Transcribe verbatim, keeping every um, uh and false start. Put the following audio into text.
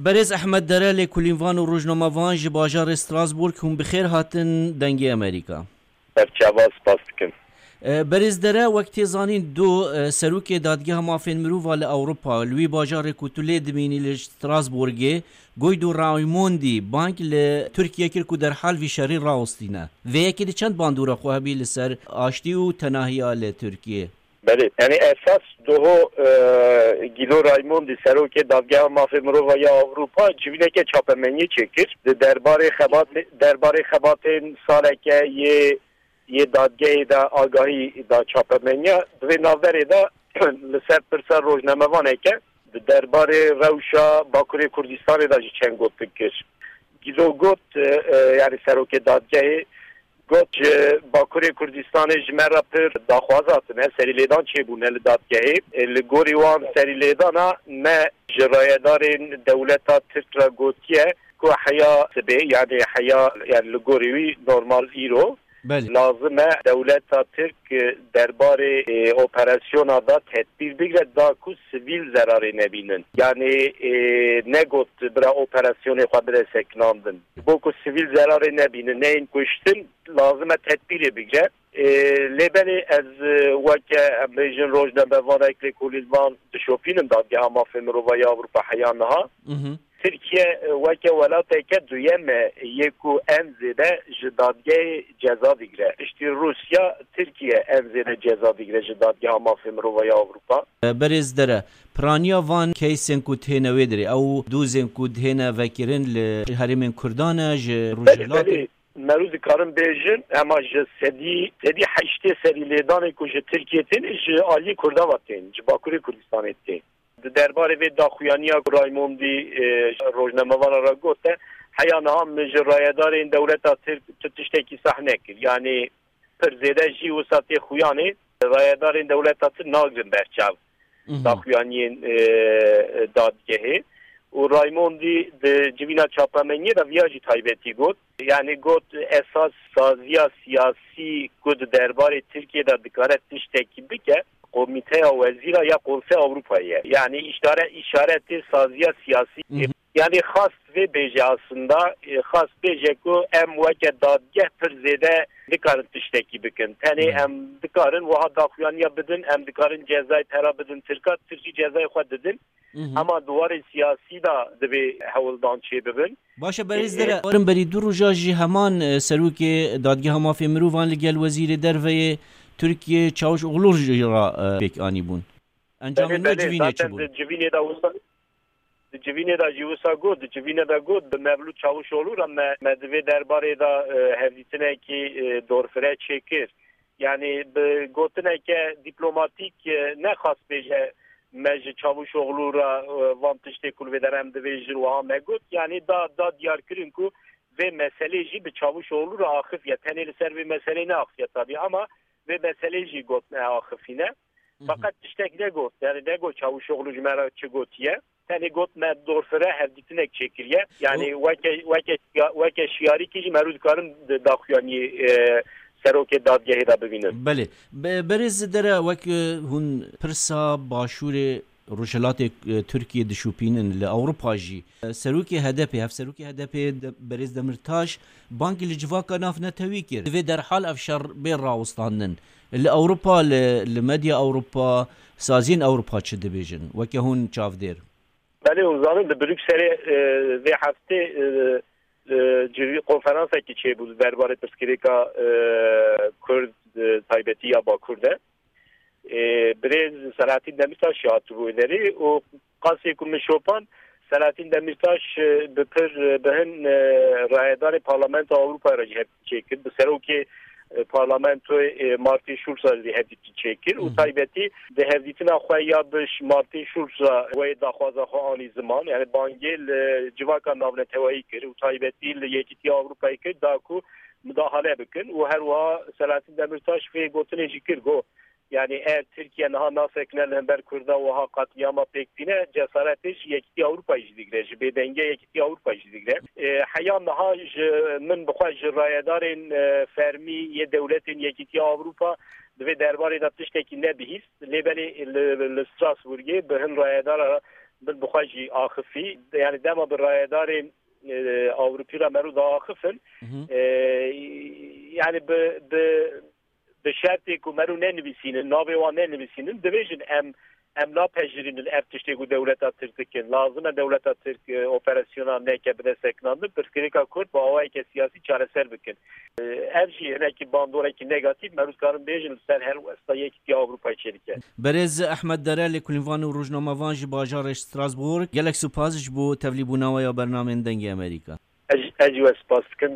Berêz Ehmed Dere, lêkolînvan û rojnamevan ji bajarê Strasbourg, hûn bi xêr hatin Dengê Amerîka. Berçava, spas dikim. E, Berêz Dere, wek tê zanîn, do, e, serokê Dadgeha Mafên Mirova li Ewropa, li wî bajarê ku tu lê dimînî, li Strasbourgê, Guido Raimondi, bang li Tirkiye kir ku derhal vî şerî rawestîne. Vê yekê di çend bandora xwe hebî li ser aştî û tenahiya li Tirkiye? Belê, yani esas doho, e, Guido Raimondi, serokê Dadgeha Mafê Mirova ya Ewropa, civîneke çapemeniyê çêkir. Di derbarê xebat-, derbarê xebatên saleke yê, yê dadgehê de agahî da çapemeniya. Di vê navberê de li ser pirsa rojnamevaneke di derbarê rewşa Bakurê Kurdistanê de jî çend gotin kir. Guido got, e, e, yani serokê dadgehê, got, ji Bakurê Kurdistanê ji me re pir daxwaz hatine, serîlêdan çêbûne li dadgehê. E, li gorî wan serîlêdana me ji rayedarên dewleta Tirk re gotiye ku heya sibê, yani heya, yani li gorî wî normal îro, Belê. lazim e dewleta Tirk, e, derbarê, e, operasyona da tedbîr bigre da ku sivîl zerarê nebînin. Yani, e, negot bira operasyonê xwe bide sekinandin. Bo ku sivîl zerarê nebînin, neyên kuştin, lazim e tedbîrê bigre. E, lê belê ez, e, weke, em bêjin, rojnamevanek, lêkolînvan dişopînim Dadgeha Mafê Mirova ya Ewropa heya niha. Mhm. Tirkiye, e, weke welateke duyem e yê ku en zêde ji dadgehê ceza digre. Piştî Rûsya, Tirkiye en zêde ceza digre ji Dadgeha Mafê Mirova ya Ewropa. Berêz Dere, piraniya van keysên ku têne wê dirê, ew dozên ku dihêne vekirin li herêmên Kurdan e, ji Belê, Rojhilatê? belê. Merû dikarin bêjin, ema ji sedî, sedî heştê serî lêdanê ku ji Tirkiye tên, ji aliyê Kurdan ve tên, ji Bakurê Kurdistanê tên. Di derbarê vê daxuyaniya ku Raymondî, e, rojnamevana re gote, heya niha min ji rayedarên dewleta Tirk tu tiştekî sah nekir. Yanî pir zêde jî wisa tê xuyanê, rayedarên dewleta Tirk nagrin berçav Mhm. daxuyaniyên, e, dadgehê. Û Raymondî di civîna çapemeniyê de viya jî taybetî got. Yanî got, esas saziya siyasî ku di derbarê Tirkiye de dikare tiştekî bike, Komîteya Wezîra ya Konseya Ewropayê ye. Yanî îşare-, îşaretê saziya siyasî. Mhm. Yanî xast vê bêje aslında, e, xast bêje ku em weke dadgeh pir zêde dikarin tiştekî bikin. Tenê Mhm. em dikarin wiha daxuyaniya bidin, em dikarin cezayê pera bidin Tirka, Tirkî cezayê xwe didin. Mhm. Ema di warê siyasî de divê hewldan çêbibin. Baş e, Berêz E, Dere, e, warin berî du roja jî heman, e, serokê Dadgeha Mafê Mirovan li gel Wezîrê Derve yê Tirkiyê Çawiş Oglû jî re, e, pêk anîbûn. Encamên Belê, me belê, civînê çi zaten bûn? di civînê de wisa, di civînê de jî wisa got, di civînê de got, bi Mevlût Çavuşoğlu re me, me di vê derbarê de, e, hevdîtinekî, e, dorfire çêkir. Yanî bi gotineke dîplomatîk, e, nexwast bêje me ji Çavuşoğlu re, e, van tiştê ku li vê derê em dibêjin wiha me got. Yanî da, da diyarkirin ku vê meselê jî bi Çavuşoğlu re axifiye. Tenê li ser vê meselê neaxifiye tabî ama vê meselê jî got me axifîne. Mhm. Feqet tiştek negot. Yanî negot Çavuşoğlu ji me re çi gotiye. Tenê got me dorfire hevdîtinek çêkiriye. Yanî O- weke, weke, weke şiyarîkî jî merû dikarin di daxuyaniyê, e, serokê dadgehê de bibînin. Belê. Be-, Berêz Dere, wek, e, hûn pirsa başûrê Rojhilatê, e, Tirkiyê dişopînin li Ewropa jî, e, serokê H D P, hevserokê H D P de-, Berêz Demirtaş bangî li civaka navnetewî kir. Divê derhal ev şer bê rawestandin. Li Ewropa, li, li medya Ewropa, saziyên Ewropa çi dibêjin? Weke hûn çavdêr. Belê, hûn zanin, li Brukselê, e, vê heftê, e, e, civî-, konferansekî çêbû li derbarê pirsgirêka, e, Kurd, e, taybetî ya Bakur de. E, birêz Selahattin Demirtaş jî hatibû wê derê û qasê ku min şopand, Selahattin Demirtaş, e, bi pir, e, bi hin, e, rayedarê Parlamentoya Ewropayê re jî hevdîtin çêkir. Bi serokê, e, Parlamentoyê, e, Martin Schulz re jî hevdîtin çêkir û Hı hı. taybetî di hevdîtina xwe ya bi Ş-, Martin Schulz re wê daxwaza xwe anî ziman. Yani bangê li civaka navneteweyî kir û taybetî li Yekîtiya Ewropayê kir da ku midahale bikin û her wiha Selahattin Demirtaş vê gotinê jî kir, got, yani eğer Tirkiye niha nasekine li hember Kurda wiha qatliyama pêk tîne, cesaretê ji Yekîtiya Ewropayê jî digre, ji bêdengê Yekîtiya Ewropayê jî digre. E, heya niha ji min bi xwe ji rayedarên, e, fermî yê dewletên Yekîtiya Ewropa di vê derbarê de tiştekî nebihîst. Lê belê li, li Strasbourgê bi hin rayedara Min bi xwe jî axifî. Yani dema bi rayedarên e, Ewropî re mero diaxifin, e, yani bi, bi, bi şertê ku mero nenivîsînin, navê wan nenivîsînin, dibêjin em, em napejirînin ev tiştê ku dewleta Tirk dikin. Lazim e dewleta Tirk e, operasyona neke bide sekinandin. Pirsgirêka Kurd bi awayeke siyasî çareser bikin. E, ev jî hinekî bandorekî negatîf, mero dikarin bêjin li ser her westa Yekîtiya Ewropayê çêdike. Berêz Ehmed Dere, lêkolînvan û rojnamevan ji bajarê Strasbourg, gelek spas ji bo tevlîbûna we ya bernamên Dengê Amerîka. Ez, ez jî we spas dikim.